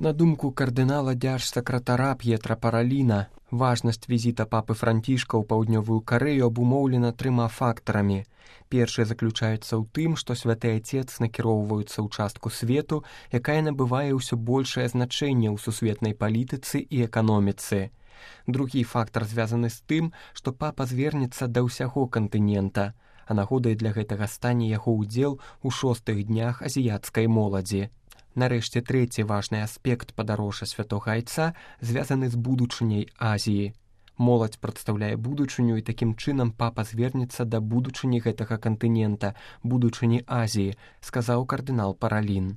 На думку кардынала дзяржсакратара П'етра Параліна, важнасць візіта папы Францішка ў паўднёвую Карэю абумоўлена 3 фактарамі. Першы заключаецца ў тым, што святы Ацец накіроўваецца ў частку свету, якая набывае ўсё большае значэнне ў сусветнай палітыцы і эканоміцы. Другі фактар звязаны з тым, што папа звернецца да ўсяго кантынента, а нагодай для гэтага стане яго ўдзел у 6-х днях азіяцкай моладзі. Нарэшце, трэці важны аспект падарожжа святога Айца звязаны з будучыняй Азіі. Моладзь прадстаўляе будучыню, і такім чынам папа звернецца да будучыні гэтага кантынента, будучыні Азіі, сказаў кардынал Паралін.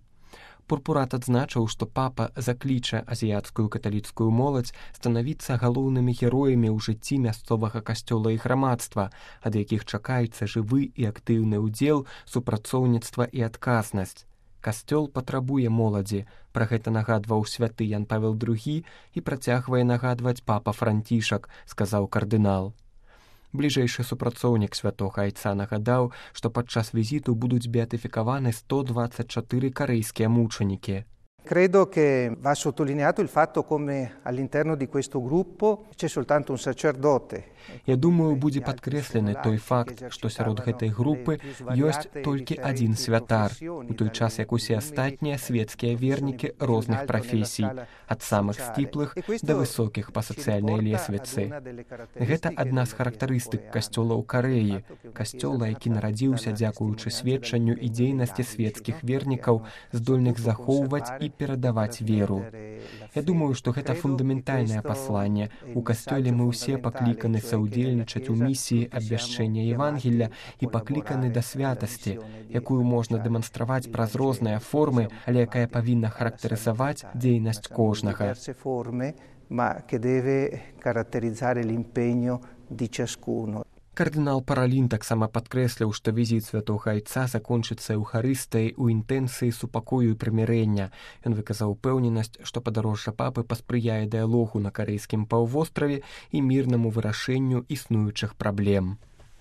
Пурпурат адзначыў, што папа закліча азіяцкую каталіцкую моладзь станавіцца галоўнымі героямі ў жыцці мясцовага касцёла і грамадства, ад якіх чакаецца жывы і актыўны ўдзел, супрацоўніцтва і адказнасць. Касцёл патрабуе моладзі, пра гэта нагадваў святы Ян Павел II і працягвае нагадваць папа Францішак, сказаў кардынал. Бліжэйшы супрацоўнік святога Айца нагадаў, што падчас візіту будуць беатыфікаваны 124 карэйскія мучанікі. Credo che va sottolineato il fatto come all'interno di questo gruppo c'è soltanto un sacerdote. Я думаю, будзе падкрэслены той факт, што сярод гэтай групы ёсць толькі адзін святар, у той час як усе астатнія светскія вернікі розных прафесій, ад самых сціплых да высокіх па сацыяльнай лесвіцы. Гэта адна з характарыстык касцёла ў Карэі, касцёла, які нарадзіўся дзякуючы сведчанню і дзейнасці светскіх вернікаў, здольных захоўваць і перадаваць веру. Я думаю, што гэта фундаментальнае пасланне. У касцёле мы ўсе пакліканы саўдзельнічаць у місіі абвяшчэння Евангелля і пакліканы да святасці, якую можна дэманстраваць праз розныя формы, але якая павінна характарызаваць дзейнасць кожнага. Кардынал Паралін таксама падкрэсліў, што візіт святога Айца закончыцца эўхарыстыяй у інтэнцыі супакою і прымірэння. Ён выказаў упэўненасць, што падарожжа папы паспрыяе дыялогу на карэйскім паўвостраве і мірнаму вырашэнню існуючых праблем.